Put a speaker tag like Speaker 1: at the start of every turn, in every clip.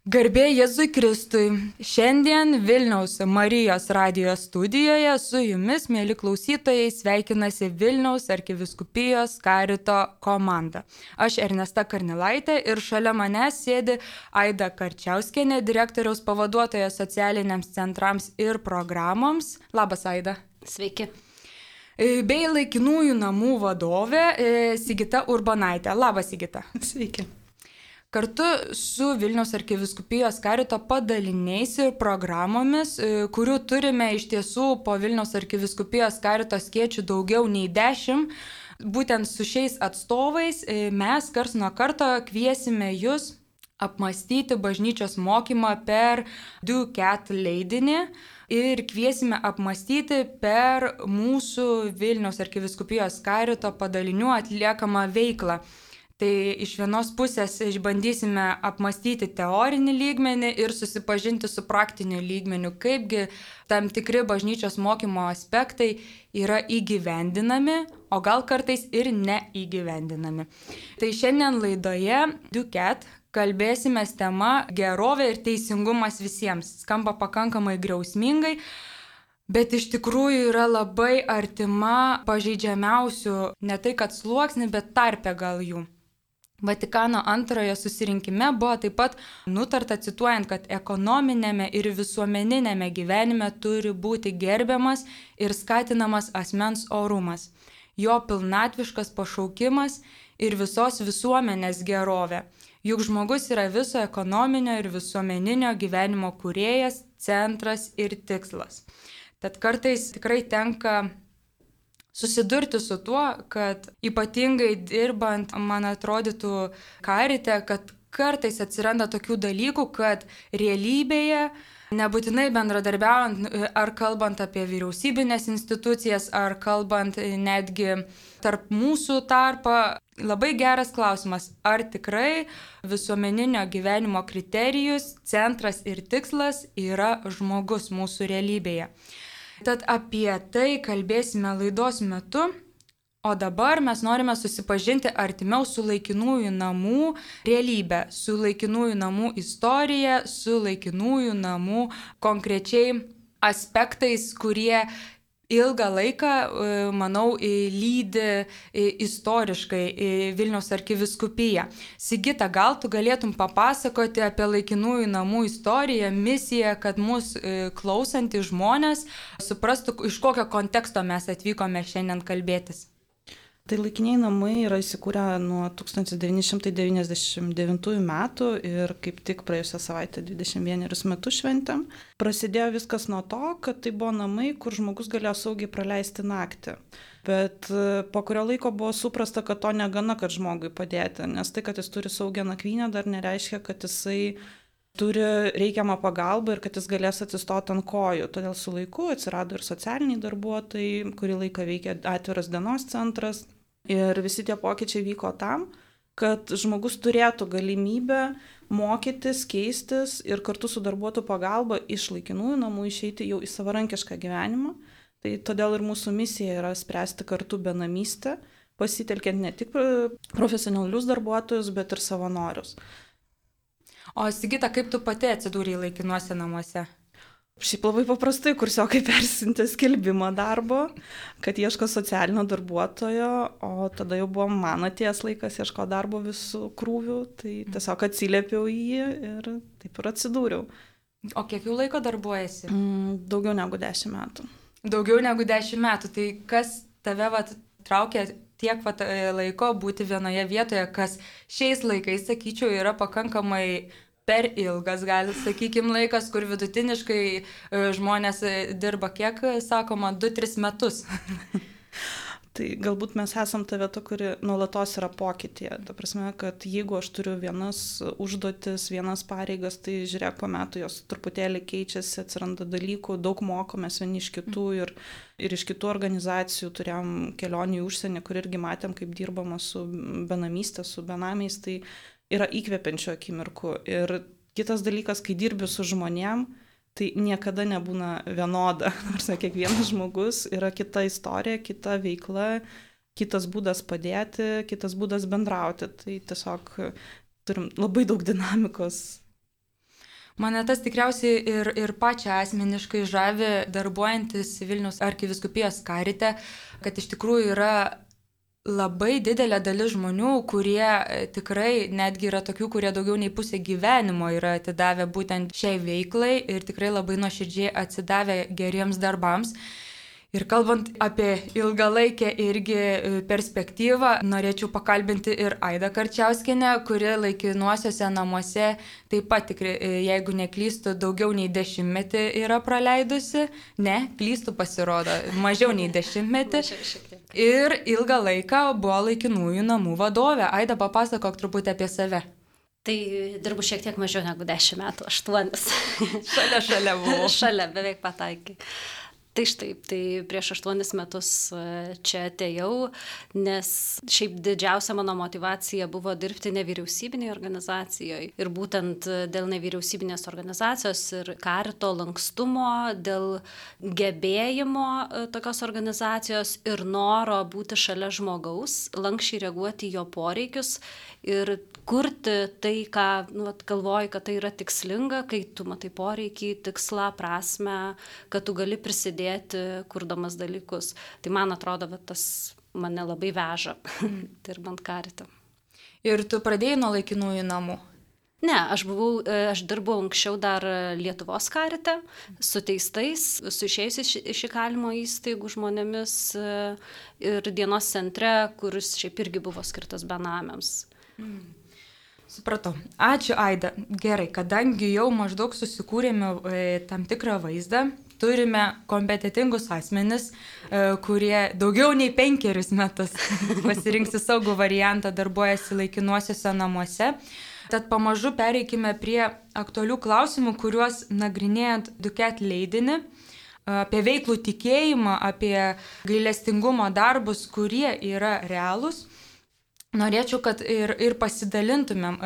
Speaker 1: Garbė Jėzui Kristui. Šiandien Vilniaus Marijos radijo studijoje su jumis, mėly klausytojai, sveikinasi Vilniaus arkivyskupijos karito komanda. Aš Ernesta Karnilaitė ir šalia manęs sėdi Aida Karčiauskienė, direktoriaus pavaduotoja socialiniams centrams ir programoms. Labas, Aida.
Speaker 2: Sveiki.
Speaker 1: Bei laikinųjų namų vadovė Sigita Urbanaitė. Labas, Sigita.
Speaker 3: Sveiki.
Speaker 1: Kartu su Vilniaus arkivyskupijos karito padaliniais ir programomis, kurių turime iš tiesų po Vilniaus arkivyskupijos karito skėčių daugiau nei 10, būtent su šiais atstovais mes karts nuo karto kviesime jūs apmastyti bažnyčios mokymą per DuCat leidinį ir kviesime apmastyti per mūsų Vilniaus arkivyskupijos karito padalinių atliekamą veiklą. Tai iš vienos pusės išbandysime apmastyti teorinį lygmenį ir susipažinti su praktiniu lygmeniu, kaipgi tam tikri bažnyčios mokymo aspektai yra įgyvendinami, o gal kartais ir neįgyvendinami. Tai šiandien laidoje DuCat kalbėsime tema gerovė ir teisingumas visiems. Skamba pakankamai griausmingai, bet iš tikrųjų yra labai artima pažeidžiamiausių, ne tai kad sluoksnį, bet tarpe gal jų. Vatikano antrojo susirinkime buvo taip pat nutarta, cituojant, kad ekonominėme ir visuomeninėme gyvenime turi būti gerbiamas ir skatinamas asmens orumas, jo pilnatviškas pašaukimas ir visos visuomenės gerovė. Juk žmogus yra viso ekonominio ir visuomeninio gyvenimo kūrėjas, centras ir tikslas. Tad kartais tikrai tenka susidurti su tuo, kad ypatingai dirbant, man atrodytų, karite, kad kartais atsiranda tokių dalykų, kad realybėje, nebūtinai bendradarbiaujant ar kalbant apie vyriausybinės institucijas, ar kalbant netgi tarp mūsų tarpą, labai geras klausimas, ar tikrai visuomeninio gyvenimo kriterijus, centras ir tikslas yra žmogus mūsų realybėje. Tad apie tai kalbėsime laidos metu, o dabar mes norime susipažinti artimiau su laikinųjų namų realybė, su laikinųjų namų istorija, su laikinųjų namų konkrečiai aspektais, kurie ilgą laiką, manau, lydi istoriškai Vilniaus arkivyskupiją. Sigita, gal tu galėtum papasakoti apie laikinųjų namų istoriją, misiją, kad mūsų klausantys žmonės suprastų, iš kokio konteksto mes atvykome šiandien kalbėtis.
Speaker 3: Tai laikiniai namai yra įsikūrę nuo 1999 metų ir kaip tik praėjusią savaitę 21 metus šventėm. Prasidėjo viskas nuo to, kad tai buvo namai, kur žmogus galėjo saugiai praleisti naktį. Bet po kurio laiko buvo suprasta, kad to negana, kad žmogui padėti, nes tai, kad jis turi saugią nakvynę, dar nereiškia, kad jisai turi reikiamą pagalbą ir kad jis galės atsistoti ant kojų. Todėl su laiku atsirado ir socialiniai darbuotojai, kurį laiką veikė atviras dienos centras. Ir visi tie pokyčiai vyko tam, kad žmogus turėtų galimybę mokytis, keistis ir kartu su darbuotojų pagalba iš laikinųjų namų išeiti jau į savarankišką gyvenimą. Tai todėl ir mūsų misija yra spręsti kartu benamystę, pasitelkiant ne tik profesionalius darbuotojus, bet ir savanorius.
Speaker 1: O Sigita, kaip tu pati atsidūrei laikinuose namuose?
Speaker 3: Šiaip labai paprastai, kursiokai persintė skelbimą darbo, kad ieško socialinio darbuotojo, o tada jau buvo man atėjęs laikas ieško darbo visų krūvių, tai tiesiog atsiliepiau į jį ir taip ir atsidūriau.
Speaker 1: O kiek jau laiko darbuojasi?
Speaker 3: Daugiau negu 10 metų.
Speaker 1: Daugiau negu 10 metų, tai kas tave traukia tiek laiko būti vienoje vietoje, kas šiais laikais, sakyčiau, yra pakankamai per ilgas, gali, sakykime, laikas, kur vidutiniškai žmonės dirba, kiek, sakoma, 2-3 metus.
Speaker 3: Tai galbūt mes esam ta vieta, kuri nuolatos yra pokytyje. Ta prasme, kad jeigu aš turiu vienas užduotis, vienas pareigas, tai žiūrėk, po metų jos truputėlį keičiasi, atsiranda dalykų, daug mokomės vieni iš kitų ir iš kitų organizacijų turėjom kelionį į užsienį, kur irgi matėm, kaip dirbama su benamystė, su benamiais, tai yra įkvepiančių akimirkų. Ir kitas dalykas, kai dirbi su žmonėm, tai niekada nebūna vienoda. Nors kiekvienas žmogus yra kita istorija, kita veikla, kitas būdas padėti, kitas būdas bendrauti. Tai tiesiog turim labai daug dinamikos.
Speaker 1: Mane tas tikriausiai ir pačią asmeniškai žavi darbuojantis Vilniaus arkivyskupijos karite, kad iš tikrųjų yra labai didelė dalis žmonių, kurie tikrai netgi yra tokių, kurie daugiau nei pusę gyvenimo yra atidavę būtent šiai veiklai ir tikrai labai nuoširdžiai atsidavę geriems darbams. Ir kalbant apie ilgalaikę irgi perspektyvą, norėčiau pakalbinti ir Aidą Karčiauskienę, kuri laikinuosiuose namuose taip pat tikrai, jeigu neklystu, daugiau nei 10 metį yra praleidusi. Ne, klystu pasirodo, mažiau nei 10 metį. Ir ilgą laiką buvo laikinųjų namų vadovė. Aida, papasakok truputį apie save.
Speaker 2: Tai dirbu šiek tiek mažiau negu 10 metų, 8.
Speaker 1: Šalia buvo.
Speaker 2: Šalia, beveik pataikai. Tai štai, tai prieš 8 metus čia atėjau, nes šiaip didžiausia mano motivacija buvo dirbti nevyriausybinėje organizacijoje. Ir būtent dėl nevyriausybinės organizacijos ir karito lankstumo, dėl gebėjimo tokios organizacijos ir noro būti šalia žmogaus, lankščiai reaguoti į jo poreikius ir kurti tai, ką galvoji, kad tai yra tikslinga, kai tu matai poreikį, tikslą, prasmę, kad tu gali prisidėti kurdamas dalykus. Tai man atrodo, kad tas mane labai veža, dirbant karite.
Speaker 1: Ir tu pradėjai nuo laikinųjų namų?
Speaker 2: Ne, aš dirbau anksčiau dar Lietuvos karite, su teistais, su išėjusiais iš įkalinimo įstaigų žmonėmis ir dienos centre, kuris šiaip irgi buvo skirtas benamiams.
Speaker 1: Supratau. Ačiū, Aida. Gerai, kadangi jau maždaug susikūrėme tam tikrą vaizdą, turime kompetitingus asmenis, kurie daugiau nei 5 metus pasirinksi saugų variantą, darbuojasi laikinuosiuose namuose. Tad pamažu pereikime prie aktualių klausimų, kuriuos nagrinėjant Duquette leidinį, apie veiklų tikėjimą, apie gailestingumo darbus, kurie yra realūs. Norėčiau, kad ir pasidalintumėm.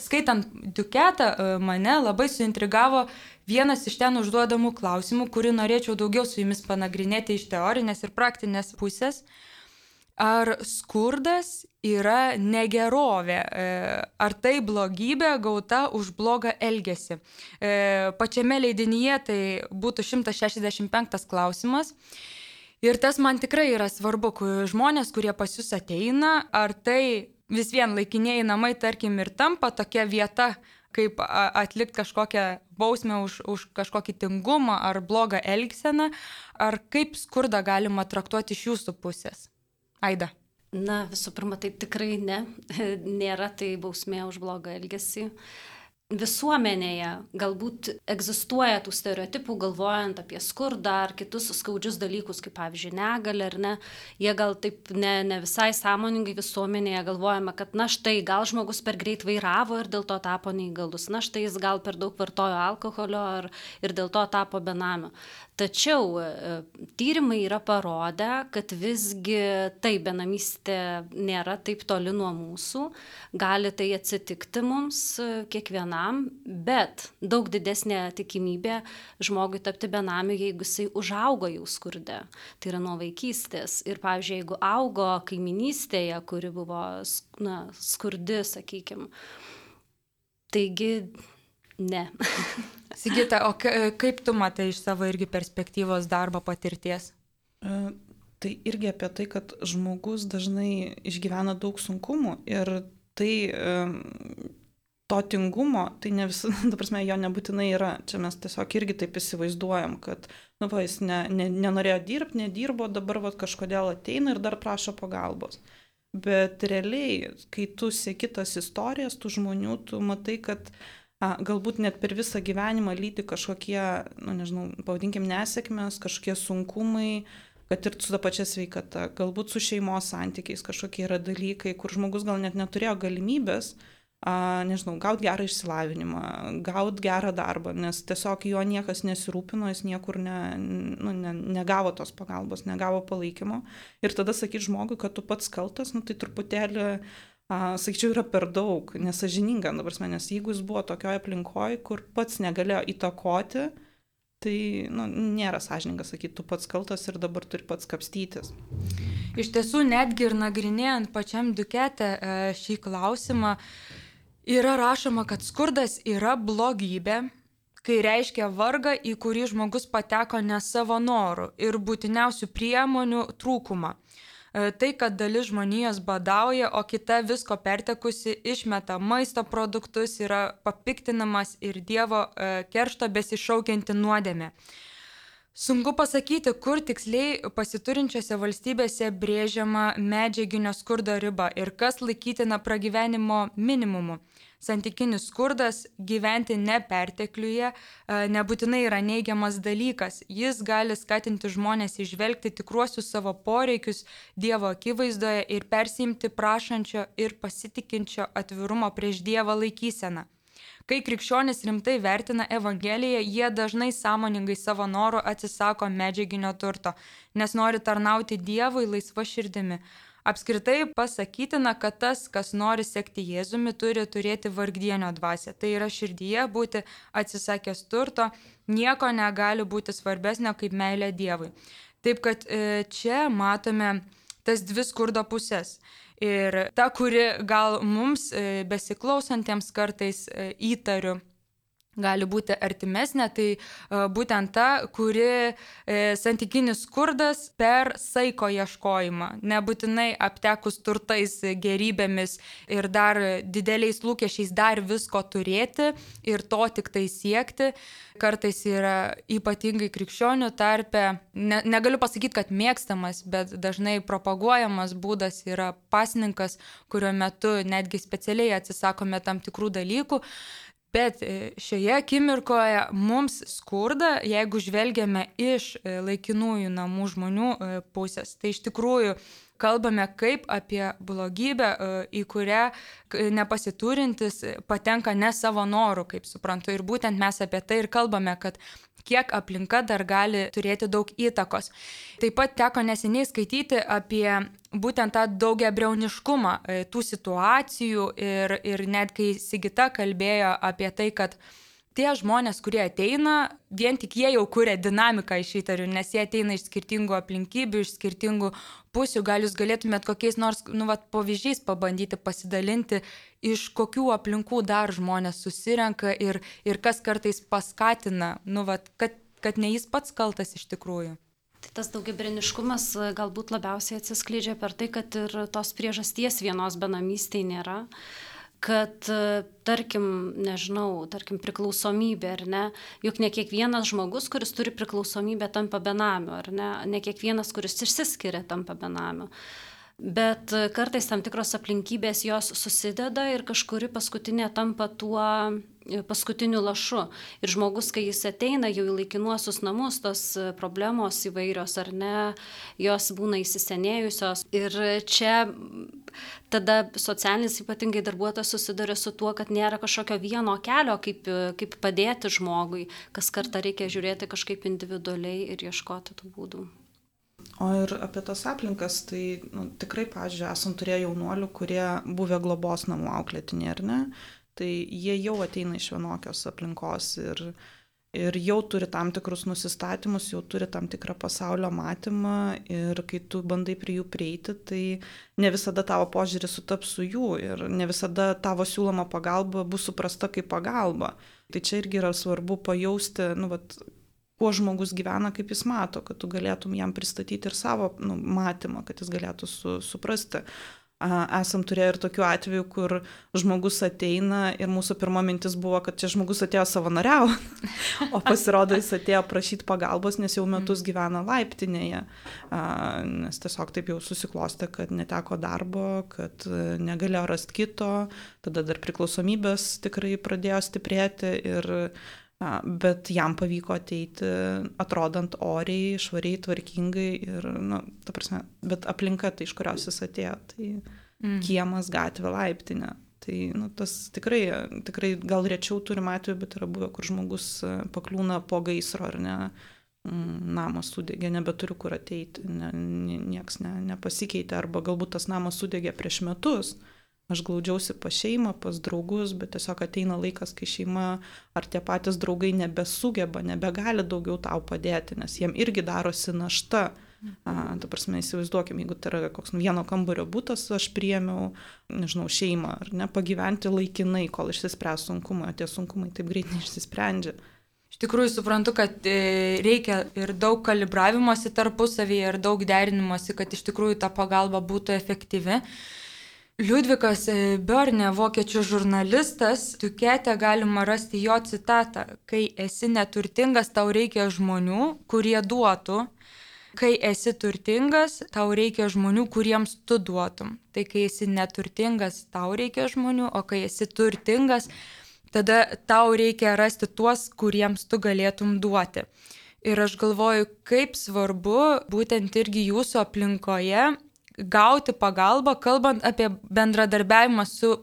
Speaker 1: Skaitant Duquette, mane labai suintrigavo vienas iš ten užduodamų klausimų, kurį norėčiau daugiau su jumis panagrinėti iš teorinės ir praktinės pusės. Ar skurdas yra negerovė? Ar tai blogybė gauta už blogą elgesį? Pačiame leidinyje tai būtų 165 klausimas. Ir tas man tikrai yra svarbu, žmonės, kurie pas jūs ateina, ar tai vis vien laikinieji namai, tarkim, ir tampa tokia vieta, kaip atlikti kažkokią bausmę už kažkokį tingumą ar blogą elgseną, ar kaip skurdą galima traktuoti iš jūsų pusės? Aida.
Speaker 2: Na, visų pirma, tai tikrai ne. Nėra tai bausmė už blogą elgesį. Visuomenėje galbūt egzistuoja tų stereotipų, galvojant apie skurdą ar kitus skaudžius dalykus, kaip pavyzdžiui negalią ar ne. Jie gal taip ne visai sąmoningai visuomenėje galvojame, kad na štai gal žmogus per greit vairavo ir dėl to tapo neįgalus, na štai jis gal per daug vartojo alkoholio ir dėl to tapo benamiu. Tačiau tyrimai yra parodę, kad visgi tai benamystė nėra taip toli nuo mūsų, gali tai atsitikti mums kiekvienam, bet daug didesnė tikimybė žmogui tapti benamiu, jeigu jisai užaugo jau skurde, tai yra nuo vaikystės. Ir pavyzdžiui, jeigu augo kaiminystėje, kuri buvo skurdi, sakykime, taigi ne.
Speaker 1: Sigita, o kaip tu matai iš savo irgi perspektyvos darbo patirties?
Speaker 3: Tai irgi apie tai, kad žmogus dažnai išgyvena daug sunkumų ir tai to tingumo, tai ne visada, ta prasme, jo nebūtinai yra. Čia mes tiesiog irgi taip įsivaizduojam, kad jis nenorėjo dirbti, nedirbo, dabar kažkodėl ateina ir dar prašo pagalbos. Bet realiai, kai tu seki tas istorijas, tų žmonių, tu matai, kad galbūt net per visą gyvenimą lydi kažkokie, pavadinkim, nesėkmės, kažkokie sunkumai, kad ir su ta pačia sveikata, galbūt su šeimos santykiais kažkokie yra dalykai, kur žmogus gal net neturėjo galimybės, gauti gerą išsilavinimą, gauti gerą darbą, nes tiesiog jo niekas nesirūpino, jis niekur negavo tos pagalbos, negavo palaikymo. Ir tada sakyti žmogui, kad tu pats kaltas, tai truputėlį sakyčiau, yra per daug, nesąžininga, nes jeigu jis buvo tokioje aplinkoje, kur pats negalėjo įtakoti, tai nėra sąžininga sakyti, tu pats kaltas ir dabar turi pats kapstytis.
Speaker 1: Iš tiesų, netgi ir nagrinėjant pačiam Duquette šį klausimą, yra rašoma, kad skurdas yra blogybė kai reiškia vargą, į kurį žmogus pateko ne savo norų ir būtiniausių priemonių trūkumą. Tai, kad dalis žmonijos badauja, o kita visko pertekusi išmeta maisto produktus, yra papiktinamas ir Dievo keršto besišaukianti nuodėmė. Sunku pasakyti, kur tiksliai pasiturinčiose valstybėse brėžiama medžiaginio skurdo riba ir kas laikytina pragyvenimo minimumu. Santykinis skurdas, gyventi nepertekliuje, nebūtinai yra neigiamas dalykas. Jis gali skatinti žmonės išvelgti tikruosius savo poreikius Dievo akivaizdoje ir persiimti prašančio ir pasitikinčio atvirumo prieš Dievą laikyseną. Kai krikščionys rimtai vertina Evangeliją, jie dažnai sąmoningai savo norų atsisako medžiaginio turto, nes nori tarnauti Dievui laisva širdimi. Apskritai pasakytina, kad tas, kas nori sekti Jėzumi, turi turėti vargdienio dvasią. Tai yra širdyje būti atsisakęs turto, nieko negali būti svarbesnio kaip meilė Dievui. Taip kad čia matome tas dvi skurdo pusės. Ir ta, kuri gal mums besiklausantiems kartais įtariu, gali būti artimesnė, tai būtent ta, kuri santykinis skurdas per saiko ieškojimą, nebūtinai aptekus turtais, gerybėmis ir dar dideliais lūkesčiais dar visko turėti ir to tik tai siekti, kartais yra ypatingai krikščionių tarpe, negaliu pasakyti, kad mėgstamas, bet dažnai propaguojamas būdas yra pasninkas, kurio metu netgi specialiai atsisakome tam tikrų dalykų. Bet šioje akimirkoje mums skurda, jeigu žvelgiame iš laikinųjų namų žmonių pusės, tai iš tikrųjų kalbame kaip apie blogybę, į kurią nepasiturintis patenka ne savo norų, kaip suprantu. Ir būtent mes apie tai ir kalbame, kad kiek aplinka dar gali turėti daug įtakos. Taip pat teko neseniai skaityti apie būtent tą daugiabriauniškumą tų situacijų ir net kai Sigita kalbėjo apie tai, kad tie žmonės, kurie ateina, vien tik jie jau kuria dinamiką iš įtarių, nes jie ateina iš skirtingų aplinkybių, iš skirtingų pusių. Gal jūs galėtumėt kokiais nors pavyzdžiais pabandyti pasidalinti, iš kokių aplinkų dar žmonės susirenka ir kas kartais paskatina, kad ne jis pats kaltas iš tikrųjų.
Speaker 2: Tai tas daugiabriauniškumas galbūt labiausiai atsiskleidžia per tai, kad ir tos priežasties vienos benamystėje nėra. Kad, tarkim priklausomybė, ar ne, juk ne kiekvienas žmogus, kuris turi priklausomybę, tampa benamiu, ar ne kiekvienas, kuris išsiskiria, tampa benamiu. Bet kartais tam tikros aplinkybės jos susideda ir kažkuri paskutinė tampa tuo paskutiniu lašu. Ir žmogus, kai jis ateina jau į laikinuosius namus, tos problemos įvairios, ar ne, jos būna įsisenėjusios. Ir čia tada socialinis ypatingai darbuotojas susiduria su tuo, kad nėra kažkokio vieno kelio, kaip padėti žmogui. Kas kartą reikia žiūrėti kažkaip individualiai ir ieškoti tų būdų.
Speaker 3: O ir apie tas aplinkas, tai tikrai, pavyzdžiui, esam turėję jaunuolių, kurie buvę globos namų auklėtiniai, ar ne? Tai jie jau ateina iš vienokios aplinkos ir jau turi tam tikrus nusistatymus, jau turi tam tikrą pasaulio matymą ir kai tu bandai prie jų prieiti, tai ne visada tavo požiūris sutaps su jų ir ne visada tavo siūloma pagalba bus suprasta kaip pagalba. Tai čia irgi yra svarbu pajausti, kuo žmogus gyvena, kaip jis mato, kad tu galėtum jam pristatyti ir savo matymą, kad jis galėtų suprasti. Esam turėję ir tokių atvejų, kur žmogus ateina ir mūsų pirma mintis buvo, kad čia žmogus atėjo savanoriauti, o pasirodo jis atėjo prašyti pagalbos, nes jau metus gyvena laiptinėje, nes tiesiog taip jau susiklostė, kad neteko darbo, kad negalėjo rasti kito, tada dar priklausomybės tikrai pradėjo stiprėti bet jam pavyko ateiti atrodant oriai, švariai, tvarkingai ir, ta prasme, bet aplinka tai, iš kurios jis atėjo, tai kiemas, gatvė, laiptinė. Tai, tas tikrai gal rečiau turim atveju, bet yra buvę, kur žmogus pakliūna po gaisro ar ne, namas sudegė, nebeturiu kur ateiti, nieks nepasikeitė, arba galbūt tas namas sudegė prieš metus. Aš glaudžiausi pas šeimą, pas draugus, bet tiesiog ateina laikas, kai šeima ar tie patys draugai nebesugeba, nebegali daugiau tau padėti, nes jiem irgi darosi našta. Ta prasme, įsivaizduokim, jeigu tai yra koks vieno kambario butas, aš priėmiau, šeimą, ar ne, pagyventi laikinai, kol išsispręs sunkumai, o tie sunkumai taip greit neišsisprendžia.
Speaker 1: tikrųjų suprantu, kad reikia ir daug kalibravimosi tarpusavyje, ir daug derinimosi, kad iš tikrųjų ta pagalba būtų efektyvi. Liudvikas Börne, vokiečių žurnalistas, Tukete galima rasti jo citatą: kai esi neturtingas, tau reikia žmonių, kurie duotų. Kai esi turtingas, tau reikia žmonių, kuriems tu duotum. Tai kai esi neturtingas, tau reikia žmonių, o kai esi turtingas, tada tau reikia rasti tuos, kuriems tu galėtum duoti. Ir aš galvoju, kaip svarbu būtent irgi jūsų aplinkoje gauti pagalbą, kalbant apie bendradarbiavimą su,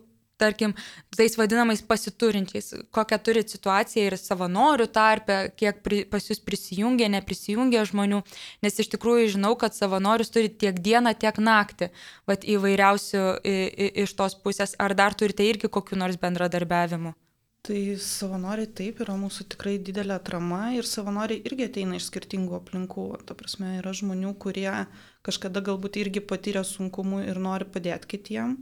Speaker 1: tarkim, tais vadinamais pasiturinčiais, kokią turi situaciją ir savanorių tarpe, kiek pas jūs prisijungia, neprisijungia žmonių, nes iš tikrųjų žinau, kad savanorius turi tiek dieną, tiek naktį, vat įvairiausių iš tos pusės. Ar dar turite irgi kokių nors bendradarbiavimų?
Speaker 3: Tai savanoriai taip yra mūsų tikrai didelė atrama ir savanoriai irgi ateina iš skirtingų aplinkų. Ta prasme, yra žmonių, kurie kažkada galbūt irgi patyrė sunkumų ir nori padėti kitiem.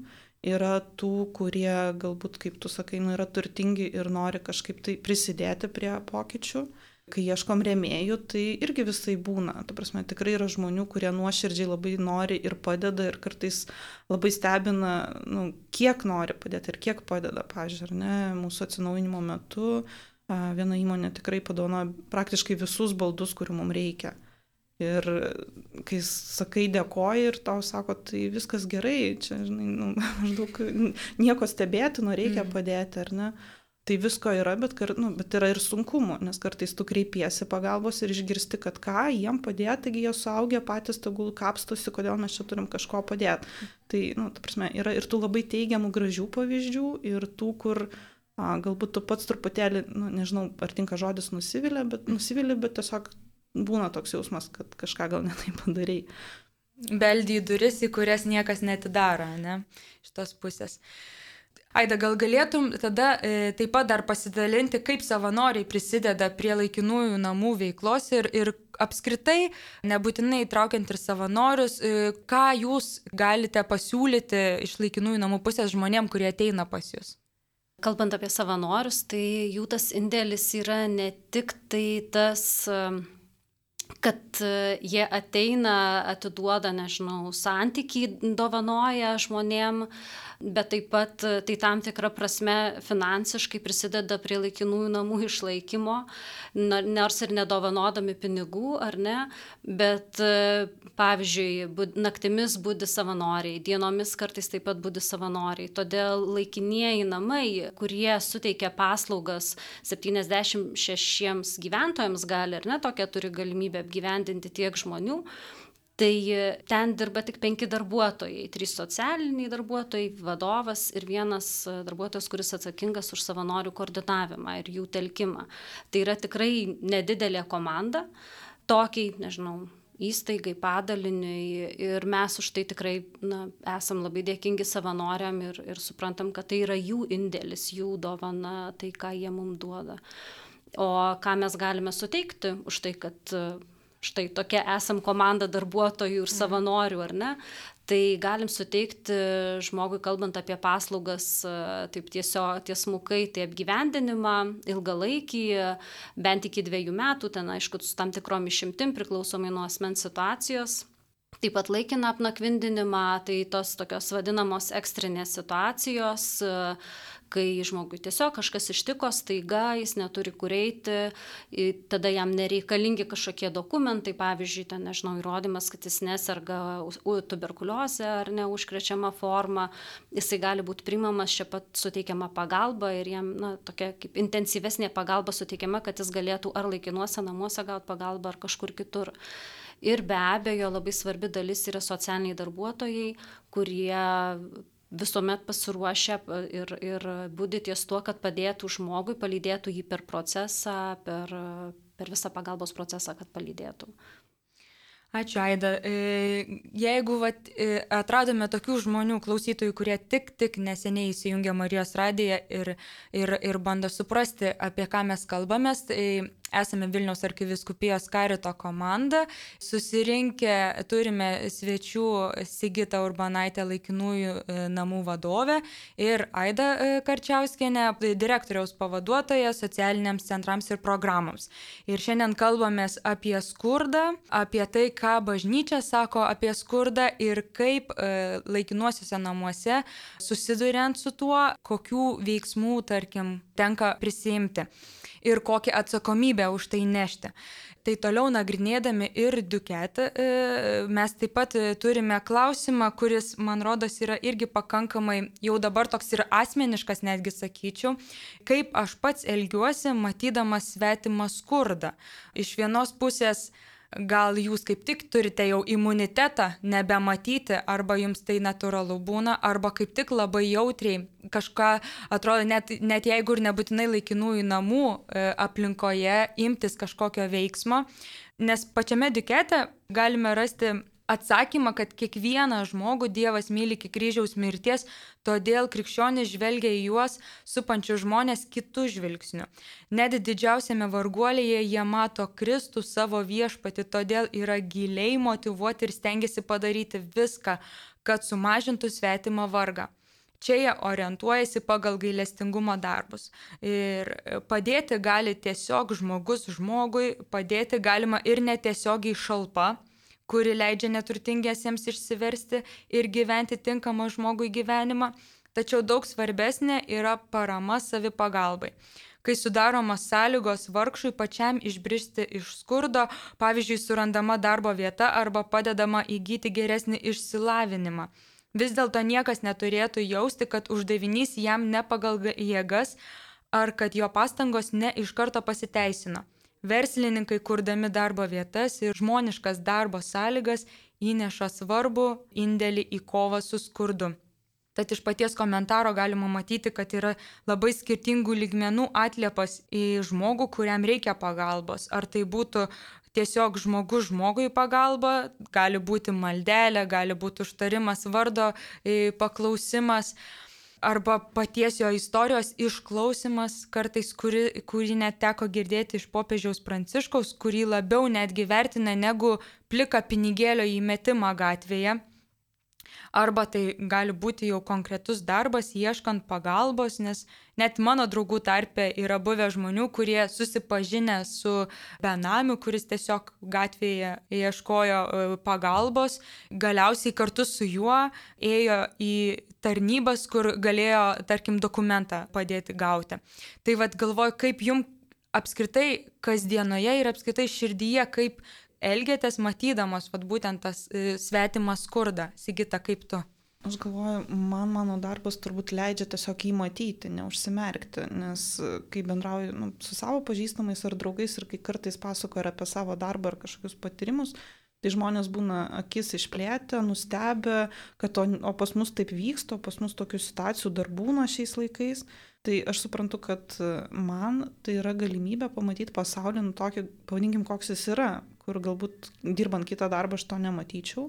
Speaker 3: Yra tų, kurie galbūt, kaip tu sakai, yra turtingi ir nori kažkaip tai prisidėti prie pokyčių. Kai ieškom rėmėjų, tai irgi visai būna. Ta prasme, tikrai yra žmonių, kurie nuoširdžiai labai nori ir padeda ir kartais labai stebina, kiek nori padėti ir kiek padeda. Pavyzdžiui, ar ne, mūsų atsinaujinimo metu viena įmonė tikrai padovanojo praktiškai visus baldus, kurių mums reikia. Ir kai sakai dėkoji ir tau sako, tai viskas gerai, čia, žinai, maždaug nieko stebėtino, reikia padėti, ar ne? Tai visko yra, bet yra ir sunkumų, nes kartais tu kreipiesi pagalbos ir išgirsti, kad ką, jiem padėti, taigi jie suaugę patys tegul kapstosi, kodėl mes čia turim kažko padėti. Tai, ta prasme, yra ir tų labai teigiamų, gražių pavyzdžių, ir tų, kur galbūt tu pats truputėlį, nežinau, ar tinka žodis nusivili, bet tiesiog būna toks jausmas, kad kažką gal ne taip padarai.
Speaker 1: Beldi į duris, į kurias niekas netidaro, ne, iš tos pusės. Aida, gal galėtum tada taip pat dar pasidalinti, kaip savanoriai prisideda prie laikinųjų namų veiklos ir apskritai, nebūtinai įtraukiant ir savanorius, ką jūs galite pasiūlyti iš laikinųjų namų pusės žmonėm, kurie ateina pas jūs?
Speaker 2: Kalbant apie savanorius, tai jų tas indėlis yra ne tik tai tas, kad jie ateina, atiduoda, nežinau, santykį dovanoja žmonėm, bet taip pat tai tam tikrą prasme finansiškai prisideda prie laikinųjų namų išlaikymo, nors ir nedovanodami pinigų, ar ne, bet pavyzdžiui, naktimis budi savanoriai, dienomis kartais taip pat budi savanoriai, todėl laikinieji namai, kurie suteikia paslaugas 76 gyventojams gali, ar ne, tokia turi galimybę apgyvendinti tiek žmonių, tai ten dirba tik 5 darbuotojai, 3 socialiniai darbuotojai, vadovas ir 1 darbuotojas, kuris atsakingas už savanorių koordinavimą ir jų telkimą. Tai yra tikrai nedidelė komanda, tokiai, nežinau, įstaigai, padaliniui, ir mes už tai tikrai esam labai dėkingi savanoriam ir suprantam, kad tai yra jų indėlis, jų dovana, tai ką jie mums duoda. O ką mes galime suteikti už tai, kad štai tokia esam komanda darbuotojų ir savanorių, ar ne? Tai galim suteikti žmogui, kalbant apie paslaugas, taip tiesmukai, tai apgyvendinimą, ilgalaikį, bent iki 2 metų, ten aišku, su tam tikrom išimtim priklausomai nuo asmens situacijos. Taip pat laikiną apnakvindinimą, tai tos tokios vadinamos ekstrinės situacijos, kai žmogui tiesiog kažkas ištiko staiga, jis neturi kur eiti, tada jam nereikalingi kažkokie dokumentai, pavyzdžiui, ten, nežinau, įrodymas, kad jis neserga tuberkuliozę ar neužkrečiama forma, jisai gali būti priimamas, čia pat suteikiama pagalba ir jam tokia kaip intensyvesnė pagalba suteikiama, kad jis galėtų ar laikinuose namuose gauti pagalbą ar kažkur kitur. Ir be abejo, labai svarbi dalis yra socialiniai darbuotojai, kurie visuomet pasiruošę ir budi ties tuo, kad padėtų žmogui, palydėtų jį per procesą, per visą pagalbos procesą, kad palydėtų.
Speaker 1: Ačiū, Aida. Jeigu atradome tokių žmonių, klausytojų, kurie tik neseniai įsijungė Marijos radiją ir bando suprasti, apie ką mes kalbamės, tai esame Vilniaus arkivyskupijos karito komanda. Susirinkę turime svečių Sigitą Urbanaitę, laikinųjų namų vadovę, ir Aidą Karčiauskienę, direktoriaus pavaduotoją socialiniams centrams ir programoms. Ir šiandien kalbamės apie skurdą, apie tai, ką bažnyčia sako apie skurdą ir kaip laikinuosiuose namuose susiduriant su tuo, kokių veiksmų, tarkim, tenka prisimti ir kokią atsakomybę už tai nešti. Tai toliau nagrinėdami ir Duquette, mes taip pat turime klausimą, kuris, man rodos, yra irgi pakankamai jau dabar toks ir asmeniškas, netgi sakyčiau, kaip aš pats elgiuosi, matydamas svetimą skurdą. Iš vienos pusės, gal jūs kaip tik turite jau imunitetą nebematyti, arba jums tai natūralu būna, arba kaip tik labai jautriai kažką atrodo, net jeigu ir nebūtinai laikinųjų namų aplinkoje imtis kažkokio veiksmo, nes pačiame Duquette galime rasti atsakymą, kad kiekvieną žmogų Dievas myli iki kryžiaus mirties, todėl krikščionys žvelgia į juos supančius žmonės kitų žvilgsnių. Net didžiausiame varguolėje jie mato Kristų savo viešpatį, todėl yra giliai motyvuoti ir stengiasi padaryti viską, kad sumažintų svetimą vargą. Čia jie orientuojasi pagal gailestingumo darbus. Ir padėti gali tiesiog žmogus žmogui, padėti galima ir netiesiogiai šalpa, kuri leidžia neturtingiesiems išsiversti ir gyventi tinkamą žmogui gyvenimą, tačiau daug svarbesnė yra parama savipagalbai. Kai sudaromos sąlygos vargšui pačiam išbristi iš skurdo, pavyzdžiui, surandama darbo vieta arba padedama įgyti geresnį išsilavinimą. Vis dėlto niekas neturėtų jausti, kad uždavinys jam ne pagal jėgas ar kad jo pastangos ne iš karto pasiteisino. Verslininkai, kurdami darbo vietas ir žmoniškas darbo sąlygas, įneša svarbų indėlį į kovą su skurdu. Tad iš paties komentaro galima matyti, kad yra labai skirtingų lygmenų atliepas į žmogų, kuriam reikia pagalbos. Ar tai būtų tiesiog žmogus žmogui pagalba, gali būti maldelė, gali būti užtarimas vardo, paklausimas, arba paties jo istorijos išklausimas, kartais kurį net teko girdėti iš popiežiaus Pranciškaus, kurį labiau netgi vertina negu pliką pinigėlio įmetimą gatvėje. Arba tai gali būti jau konkretus darbas ieškant pagalbos, nes net mano draugų tarpe yra buvę žmonių, kurie susipažinę su benamiu, kuris tiesiog gatvėje ieškojo pagalbos, galiausiai kartu su juo ėjo į tarnybas, kur galėjo, tarkim, dokumentą padėti gauti. Tai vat galvoju, kaip jums apskritai kasdienoje ir apskritai širdyje, kaip elgiatės matydamos vat būtent tas svetimas skurdą. Sigita, kaip tu?
Speaker 3: Aš galvoju, mano darbas turbūt leidžia tiesiog jį matyti, neužsimerkti, nes kai bendrauju su savo pažįstamais ar draugais ir kai kartais pasakoju apie savo darbą ar kažkokius patyrimus, tai žmonės būna akis išplėtę, nustebę, kad o pas mus taip vyksta, o pas mus tokių situacijų dar būna šiais laikais. Tai aš suprantu, kad man tai yra galimybė pamatyti pasaulį tokį, pavadinkim, koks jis yra, kur galbūt dirbant kitą darbą aš to nematyčiau.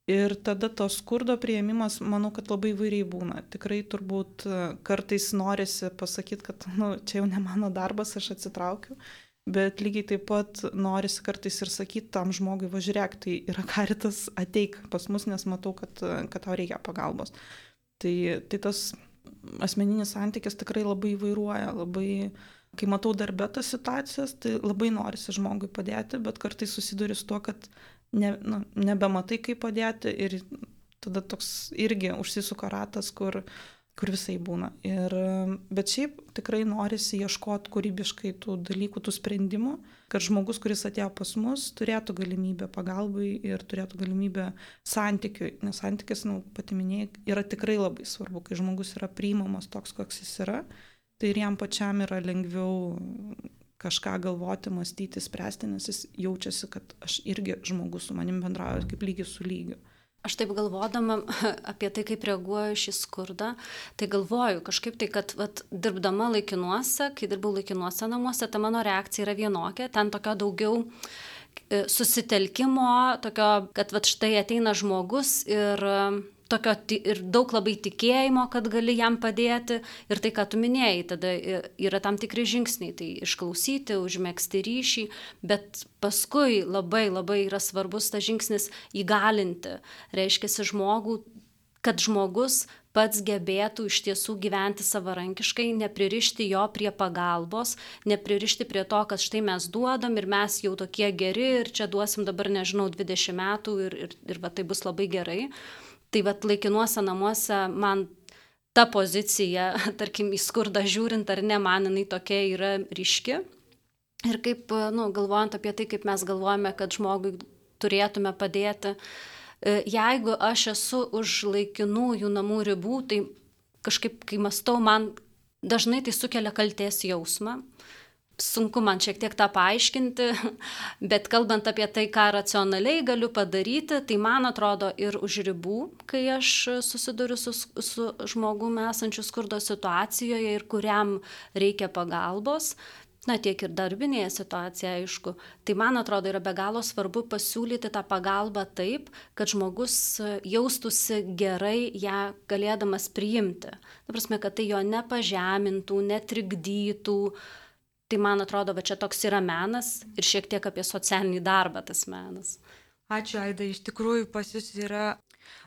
Speaker 3: Ir tada to skurdo priėmimas, manau, kad labai įvairiai būna. Tikrai turbūt kartais norisi pasakyti, kad čia jau ne mano darbas, aš atsitraukiu. Bet lygiai taip pat norisi kartais ir sakyti tam žmogui, važiuok, tai yra karitas, ateik pas mus, nes matau, kad tau reikia pagalbos. Tai tas asmeninis santykis tikrai labai įvairuoja, kai matau darbe tas situacijas, tai labai norisi žmogui padėti, bet kartais susiduri su tuo, kad nebematai kaip padėti ir tada toks irgi užsisuka ratas, kur visai būna. Bet šiaip tikrai norisi ieškoti kūrybiškai tų dalykų, tų sprendimų, kad žmogus, kuris atėjo pas mus, turėtų galimybę pagalbai ir turėtų galimybę santykiui. Nes santykis, pati minėjai, yra tikrai labai svarbu, kai žmogus yra priimamas toks, koks jis yra, tai ir jam pačiam yra lengviau kažką galvoti, mąstyti, spręsti, nes jis jaučiasi, kad aš irgi žmogus su manim bendrauju kaip lygis su lygiu.
Speaker 2: Aš taip galvodama apie tai, kaip reaguoju šį skurdą, tai galvoju kažkaip tai, kad dirbdama laikinuose, kai dirbau laikinuose namuose, ta mano reakcija yra vienokia, ten tokio daugiau susitelkimo, tokio, kad štai ateina žmogus ir tokio ir daug labai tikėjimo, kad gali jam padėti. Ir tai, ką tu minėjai, tada yra tam tikri žingsniai. Tai išklausyti, užmegzti ryšį, bet paskui labai yra svarbus tas žingsnis įgalinti. Reiškia žmogų, kad žmogus pats gebėtų iš tiesų gyventi savarankiškai, nepririšti jo prie pagalbos, nepririšti prie to, kad štai mes duodam ir mes jau tokie geri ir čia duosim dabar, nežinau, 20 metų ir va, tai bus labai gerai. Tai vat laikinuose namuose man ta pozicija, tarkim, į skurdą žiūrint ar ne, man jinai tokia yra ryški. Ir kaip, galvojant apie tai, kaip mes galvojame, kad žmogui turėtume padėti, jeigu aš esu už laikinųjų namų ribų, tai kažkaip, kai mąstau, man dažnai tai sukelia kaltės jausmą. Sunku man šiek tiek tą paaiškinti, bet kalbant apie tai, ką racionaliai galiu padaryti, tai man atrodo ir už ribų, kai aš susiduriu su žmogumi esančiu skurdo situacijoje ir kuriam reikia pagalbos, tiek ir darbinėje situacijoje, aišku, tai man atrodo yra be galo svarbu pasiūlyti tą pagalbą taip, kad žmogus jaustųsi gerai ją galėdamas priimti. Ta prasme, kad tai jo nepažemintų, netrikdytų. Tai man atrodo, va čia toks yra menas ir šiek tiek apie socialinį darbą tas menas.
Speaker 1: Ačiū, Aida, iš tikrųjų pas jūs yra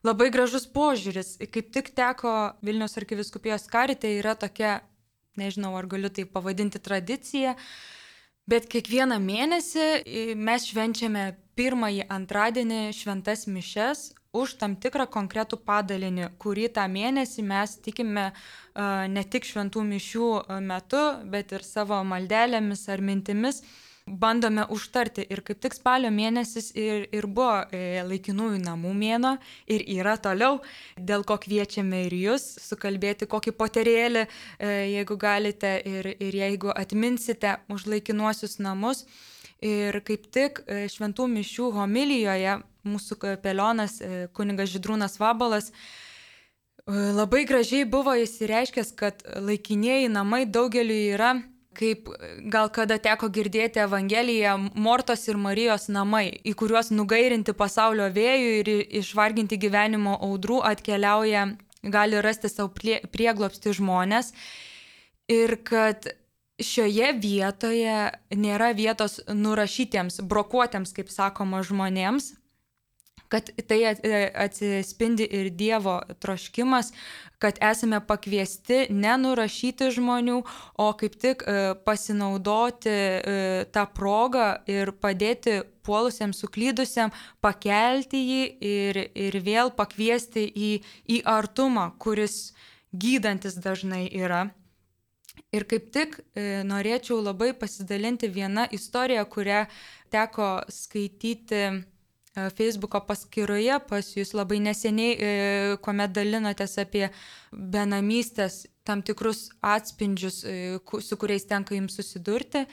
Speaker 1: labai gražus požiūris. Kaip tik teko Vilniaus arkivyskupijos karite, yra tokia, nežinau, ar galiu tai pavadinti tradicija, bet kiekvieną mėnesį mes švenčiame pirmąjį antradienį šventas mišias už tam tikrą konkretų padalinį, kurį tą mėnesį mes tikime ne tik šventų mišių metu, bet ir savo maldelėmis ar mintimis bandome užtarti. Ir kaip tik spalio mėnesis ir buvo laikinųjų namų mėnuo ir yra toliau, dėl ko kviečiame ir jūs sukalbėti kokį poterėlį, jeigu galite ir jeigu atminsite už laikinuosius namus. Ir kaip tik šventų mišių homilijoje mūsų kapelionas kunigas Žydrūnas Vabalas labai gražiai buvo įsireiškęs, kad laikinieji namai daugeliui yra, kaip gal kada teko girdėti Evangeliją, Mortos ir Marijos namai, į kuriuos nugairinti pasaulio vėjų ir išvarginti gyvenimo audrų atkeliauja, gali rasti savo prieglobstį žmonės. Ir kad šioje vietoje nėra vietos nurašytiems, brokuotiems, kaip sakoma, žmonėms, kad tai atsispindi ir Dievo troškimas, kad esame pakviesti nenurašyti žmonių, o kaip tik pasinaudoti tą progą ir padėti puolusiems, suklydusiam, pakelti jį ir vėl pakviesti į artumą, kuris gydantis dažnai yra. Ir kaip tik norėčiau labai pasidalinti vieną istoriją, kurią teko skaityti Facebooko paskyroje pas jūs labai neseniai, kuomet dalinotės apie benamystės tam tikrus atspindžius, su kuriais tenka jums susidurti.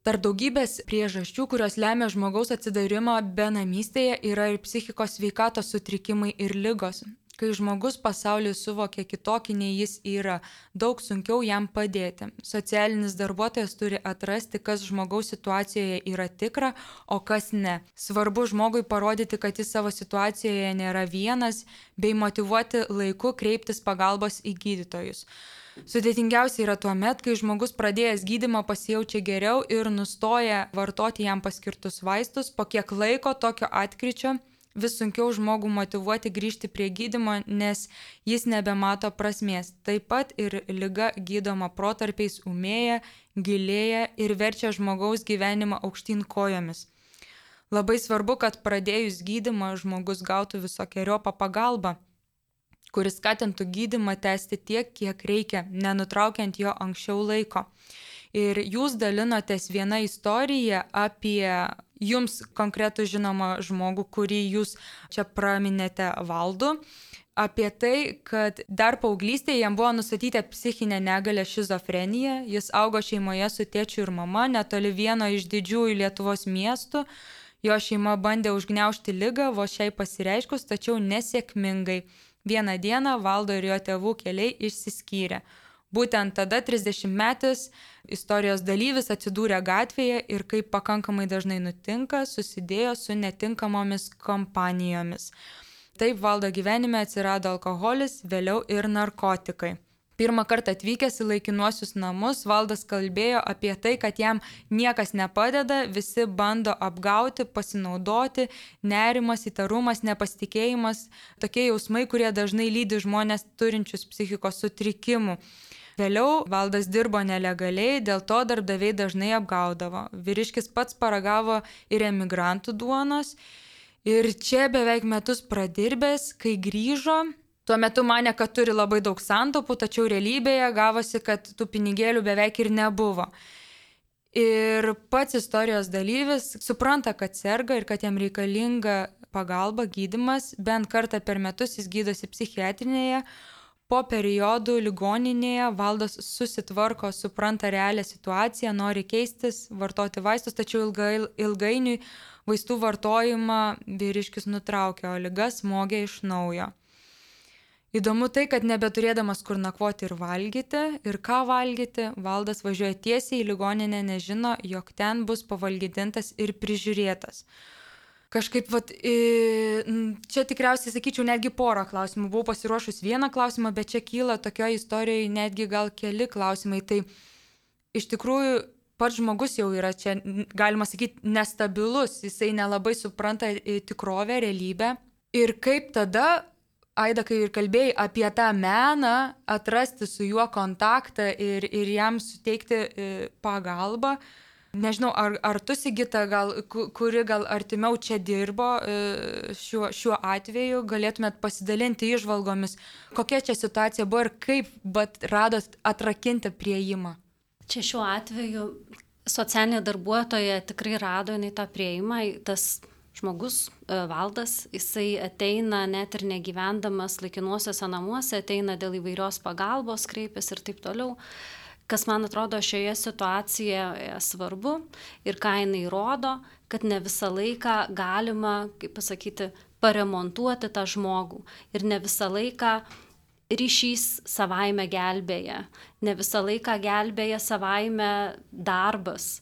Speaker 1: Tarp daugybės priežasčių, kurios lemia žmogaus atsidarimą benamystėje, yra ir psichikos sveikatos sutrikimai ir ligos. Kai žmogus pasaulį suvokia kitokį nei jis yra, daug sunkiau jam padėti. Socialinis darbuotojas turi atrasti, kas žmogaus situacijoje yra tikra, o kas ne. Svarbu žmogui parodyti, kad jis savo situacijoje nėra vienas, bei motyvuoti laiku kreiptis pagalbos į gydytojus. Sudėtingiausia yra tuo met, kai žmogus pradėjęs gydymą pasijaučia geriau ir nustoja vartoti jam paskirtus vaistus, po kiek laiko tokio atkryčio vis sunkiau žmogų motyvuoti grįžti prie gydymo, nes jis nebemato prasmės. Taip pat ir liga gydoma protarpiais ūmėja, gilėja ir verčia žmogaus gyvenimą aukštyn kojomis. Labai svarbu, kad pradėjus gydymą žmogus gautų visokeriopą pagalbą, kuris skatintų gydymą tęsti tiek, kiek reikia, nenutraukiant jo anksčiau laiko. Ir jūs dalinotės vieną istoriją apie jums konkretų žinomą žmogų, kurį jūs čia praminėte Valdu, apie tai, kad dar paauglystėje jam buvo nustatyta psichinė negalė šizofrenija, jis augo šeimoje su tėčiu ir mama, netoli vieno iš didžiųjų Lietuvos miestų, jo šeima bandė užgniaužti ligą, vos šiai pasireiškus, tačiau nesėkmingai. Vieną dieną Valdo ir jo tėvų keliai išsiskyrė. Būtent tada 30-metis istorijos dalyvis atsidūrė gatvėje ir, kaip pakankamai dažnai nutinka, susidėjo su netinkamomis kompanijomis. Taip valdo gyvenime atsirado alkoholis, vėliau ir narkotikai. Pirmą kartą atvykęs į laikinuosius namus, valdas kalbėjo apie tai, kad jam niekas nepadeda, visi bando apgauti, pasinaudoti, nerimas, įtarumas, nepasitikėjimas, tokie jausmai, kurie dažnai lydi žmonės turinčius psichikos sutrikimų. Vėliau valdas dirbo nelegaliai, dėl to darbdaviai dažnai apgaudavo. Vyriškis pats paragavo ir emigrantų duonos ir čia beveik metus pradirbęs, kai grįžo, tuo metu manė, kad turi labai daug santaupų, tačiau realybėje gavosi, kad tų pinigėlių beveik ir nebuvo. Ir pats istorijos dalyvis supranta, kad serga ir kad jam reikalinga pagalba, gydymas, bent kartą per metus jis gydosi psichiatrinėje. Po periodų ligoninėje valdas susitvarko, supranta realią situaciją, nori keistis, vartoti vaistus, tačiau ilgainiui vaistų vartojimą vyriškis nutraukė, o liga smogė iš naujo. Įdomu tai, kad nebeturėdamas kur nakvoti ir valgyti, ir ką valgyti, valdas važiuoja tiesiai į ligoninę, nežino, jog ten bus pavalgydintas ir prižiūrėtas. Kažkaip, čia tikriausiai, sakyčiau, netgi porą klausimų. Buvau pasiruošus vieną klausimą, bet čia kyla tokioje istorijoje netgi gal keli klausimai. Tai iš tikrųjų pats žmogus jau yra čia, galima sakyti, nestabilus, jisai nelabai supranta tikrovę, realybę. Ir kaip tada, Aida, kai ir kalbėjai apie tą meną, atrasti su juo kontaktą ir jam suteikti pagalbą. Nežinau, ar tu, Sigita, kuri gal artimiau čia dirbo šiuo atveju, galėtumėt pasidalinti įžvalgomis, kokia čia situacija buvo ir kaip radot atrakinti priėjimą?
Speaker 2: Čia šiuo atveju socialinė darbuotoja tikrai rado jinai tą priėjimą, tas žmogus, valdas, jisai ateina net ir negyvendamas laikinuosiuose namuose, ateina dėl įvairios pagalbos, kreipiasi ir taip toliau. Kas man atrodo šioje situacijoje svarbu ir ką jinai rodo, kad ne visą laiką galima, kaip pasakyti, paremontuoti tą žmogų ir ne visą laiką ryšys savaime gelbėja, ne visą laiką gelbėja savaime darbas.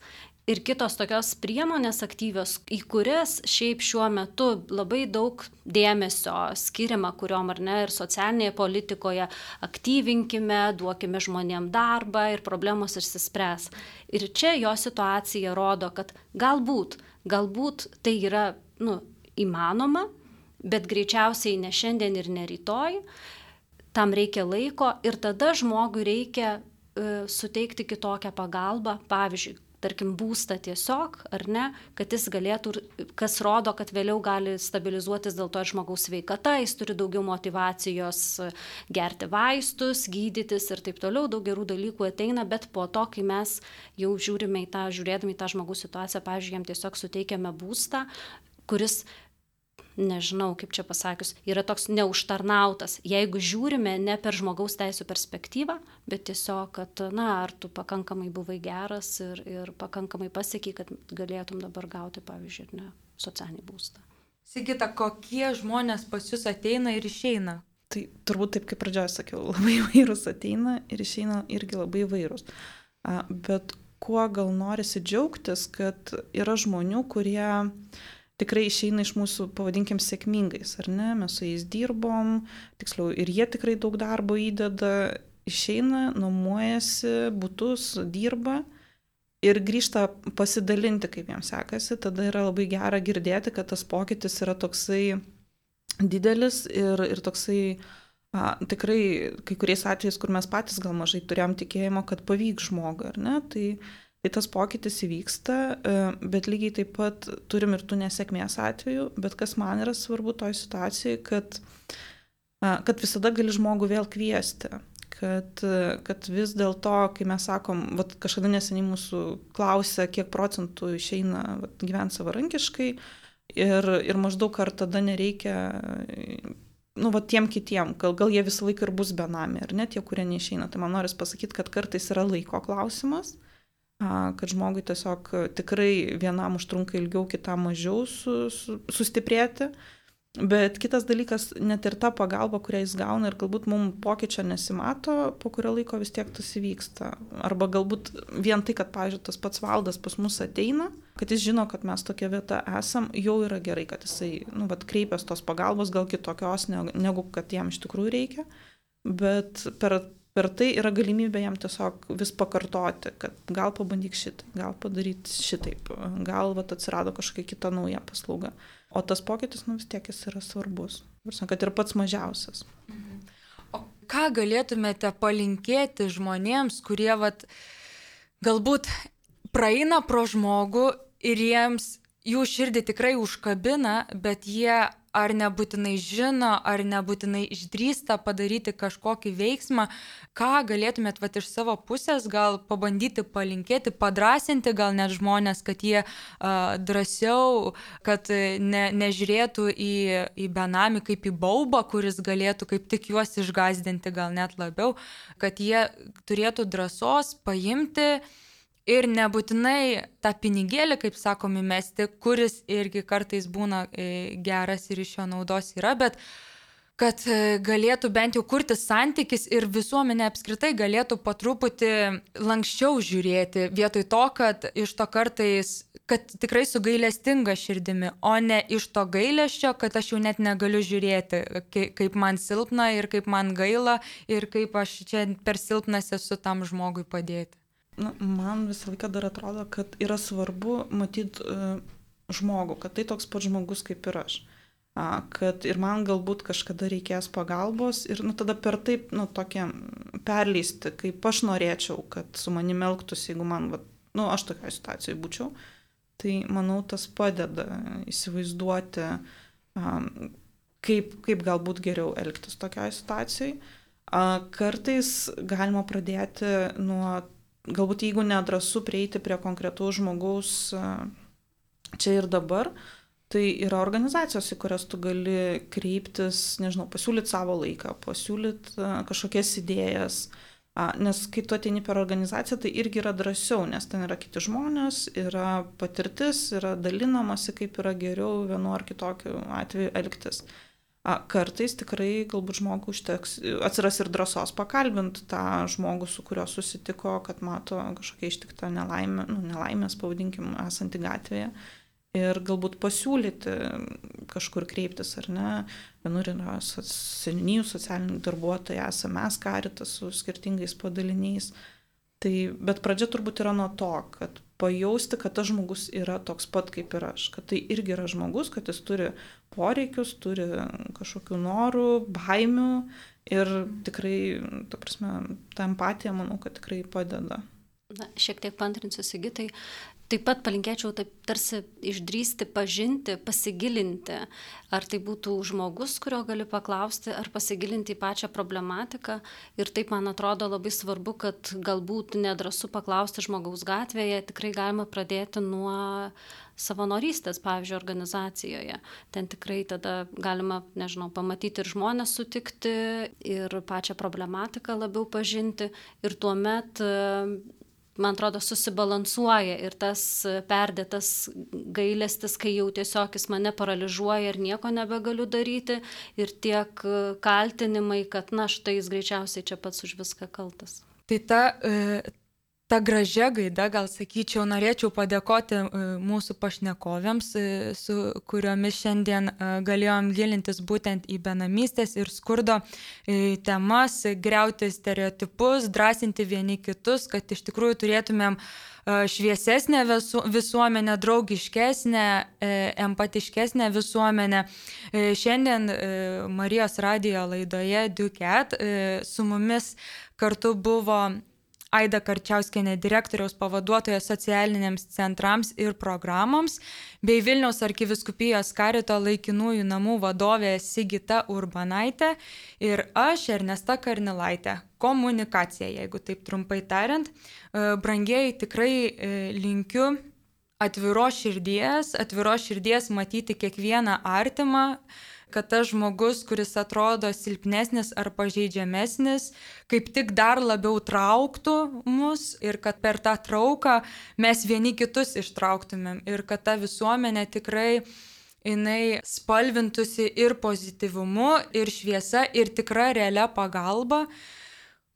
Speaker 2: Ir kitos tokios priemonės aktyvios, į kurias šiaip šiuo metu labai daug dėmesio skiriama, kuriuom ar ne, ir socialinėje politikoje aktyvinkime, duokime žmonėm darbą ir problemos išsispręs. Ir čia jo situacija rodo, kad galbūt tai yra įmanoma, bet greičiausiai ne šiandien ir ne rytoj. Tam reikia laiko ir tada žmogui reikia suteikti kitokią pagalbą, pavyzdžiui, tarkim, būstą tiesiog, ar ne, kad jis galėtų, kas rodo, kad vėliau gali stabilizuotis dėl to žmogaus sveikata, jis turi daugiau motyvacijos gerti vaistus, gydytis ir taip toliau, daug gerų dalykų ateina, bet po to, kai mes jau žiūrėdami į tą žmogaus situaciją, pavyzdžiui, jam tiesiog suteikiame būstą, kuris, nežinau, kaip čia pasakius, yra toks neužtarnautas. Jeigu žiūrime ne per žmogaus teisų perspektyvą, bet tiesiog, kad, ar tu pakankamai buvai geras ir pakankamai pasiekiai, kad galėtum dabar gauti, pavyzdžiui, socialinį būstą.
Speaker 1: Sigita, kokie žmonės pas jūs ateina ir išeina?
Speaker 3: Tai turbūt taip, kaip pradžioje sakiau, labai įvairūs ateina ir išeina irgi labai įvairūs. Bet kuo gal norisi džiaugtis, kad yra žmonių, kurie tikrai išeina iš mūsų, pavadinkim, sėkmingais, ar ne? Mes su jais dirbom, tiksliau, ir jie tikrai daug darbo įdeda, išeina, nuomojasi, butus, dirba ir grįžta pasidalinti, kaip jiems sekasi. Tada yra labai gera girdėti, kad tas pokytis yra toksai didelis ir toksai tikrai kai kuriais atvejais, kur mes patys gal mažai turėjom tikėjimo, kad pavyks žmogui, ar ne? Tai tas pokytis įvyksta, bet lygiai taip pat turim ir tų nesėkmės atvejų, bet kas man yra svarbu toj situacijai, kad visada gali žmogų vėl kviesti, kad vis dėlto, kai mes sakom, kažkada neseniai mūsų klausia, kiek procentų išeina gyventi savarankiškai ir maždaug ar tada nereikia, tiem kitiem, gal jie visą laiką ir bus benami, ar ne, tie, kurie neišeina. Tai man noris pasakyti, kad kartais yra laiko klausimas, kad žmogui tiesiog tikrai vienam užtrunka ilgiau, kitam mažiau sustiprėti. Bet kitas dalykas, net ir ta pagalba, kurią jis gauna ir galbūt mums pokyčio nesimato, po kurio laiko vis tiek tas įvyksta. Arba galbūt vien tai, kad, pavyzdžiui, tas pats Valdas pas mus ateina, kad jis žino, kad mes tokia vieta esam, jau yra gerai, kad jisai, kreipias tos pagalbos, gal kitokios, negu kad jam iš tikrųjų reikia. Bet per tai yra galimybė jam tiesiog vis pakartoti, kad gal pabandyk šitai, gal padaryti šitaip, gal atsirado kažkokia kita nauja paslauga. O tas pokytis, vis tiek jis yra svarbus. Kad ir pats mažiausias.
Speaker 1: O ką galėtumėte palinkėti žmonėms, kurie galbūt praeina pro žmogų ir jų širdį tikrai užkabina, bet jie ar nebūtinai žino, ar nebūtinai išdrįsta padaryti kažkokį veiksmą, ką galėtumėt iš savo pusės gal pabandyti palinkėti, padrasinti gal net žmonės, kad jie drąsiau, kad nežiūrėtų į benamį kaip į baubą, kuris galėtų kaip tik juos išgąsdinti gal net labiau, kad jie turėtų drąsos paimti ir nebūtinai tą pinigėlį, kaip sakom, įmesti, kuris irgi kartais būna geras ir iš jo naudos yra, bet kad galėtų bent jau kurti santykis ir visuomenė apskritai galėtų po truputį lankščiau žiūrėti, vietoj to, kad iš to kartais, kad tikrai su gailestinga širdimi, o ne iš to gailesčio, kad aš jau net negaliu žiūrėti, kaip man silpna ir kaip man gaila ir kaip aš čia per silpnas esu tam žmogui padėti.
Speaker 3: Man visą laiką dar atrodo, kad yra svarbu matyti žmogų, kad tai toks pats žmogus kaip ir aš. Kad ir man galbūt kažkada reikės pagalbos ir tada per taip tokia perleisti, kaip aš norėčiau, kad su manimi elgtųsi, jeigu man, aš tokioje situacijoje būčiau. Tai manau, tas padeda įsivaizduoti, kaip galbūt geriau elgtis tokioje situacijoje. Kartais galima pradėti nuo galbūt jeigu nedrąsu prieiti prie konkretaus žmogaus čia ir dabar, tai yra organizacijos, į kurias tu gali kreiptis, pasiūlyti savo laiką, pasiūlyti kažkokias idėjas, nes kai tu ateini per organizaciją, tai irgi yra drąsiau, nes ten yra kiti žmonės, yra patirtis, yra dalinamasi, kaip yra geriau vienu ar kitokiu atveju elgtis. Kartais tikrai galbūt žmogui atsiras ir drąsos pakalbinti tą žmogų, su kuriuo susitiko, kad mato kažkokia ištikta nelaimės, pavadinkim, esanti gatvėje. Ir galbūt pasiūlyti kažkur kreiptis, ar ne. Vienur yra seniūnijų socialiniai darbuotojai, esame mes Caritas su skirtingais padaliniais. Bet pradžia turbūt yra nuo to, kad pajausti, kad tas žmogus yra toks pat kaip ir aš, kad tai irgi yra žmogus, kad jis turi poreikius, turi kažkokių norų, baimių ir tikrai, ta empatija, manau, kad tikrai padeda.
Speaker 2: Šiek tiek paantrinsiu Sigitai. Taip pat palinkėčiau taip tarsi išdrįsti, pažinti, pasigilinti, ar tai būtų žmogus, kurio gali paklausti, ar pasigilinti į pačią problematiką. Ir taip, man atrodo, labai svarbu, kad galbūt nedrąsu paklausti žmogaus gatvėje, tikrai galima pradėti nuo savanorystės, pavyzdžiui, organizacijoje. Ten tikrai tada galima, pamatyti ir žmonės sutikti, ir pačią problematiką labiau pažinti. Ir tuomet man atrodo, susibalansuoja ir tas perdėtas gailestis, kai jau tiesiog jis mane paralyžiuoja ir nieko nebegaliu daryti, ir tiek kaltinimai, kad štai jis greičiausiai čia pats už viską kaltas.
Speaker 1: Tai ta gražia gaida, gal sakyčiau, norėčiau padėkoti mūsų pašnekovėms, su kuriomis šiandien galėjom gilintis būtent į benamystės ir skurdo temas, griauti stereotipus, drąsinti vieni kitus, kad iš tikrųjų turėtumėm šviesesnę visuomenę, draugiškesnę, empatiškesnę visuomenę. Šiandien Marijos radijo laidoje Duket su mumis kartu buvo Aida Karčiauskienė, direktoriaus pavaduotoja socialiniams centrams ir programoms, bei Vilniaus arkivyskupijos Carito laikinųjų namų vadovė Sigita Urbanaitė ir aš, Ernesta Karnilaitė. Komunikacija, jeigu taip trumpai tariant. Brangieji, tikrai linkiu atviros širdies matyti kiekvieną artimą, kad tas žmogus, kuris atrodo silpnesnis ar pažeidžiamesnis, kaip tik dar labiau trauktų mus ir kad per tą trauką mes vieni kitus ištrauktumėm ir kad ta visuomenė tikrai jinai spalvintųsi ir pozityvumu, ir šviesa, ir tikra realia pagalba,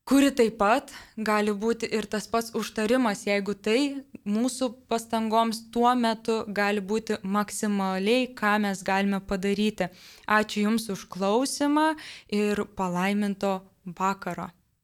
Speaker 1: kuri taip pat gali būti ir tas pats užtarimas, jeigu tai mūsų pastangoms tuo metu gali būti maksimaliai, ką mes galime padaryti. Ačiū Jums už klausimą ir palaiminto vakaro.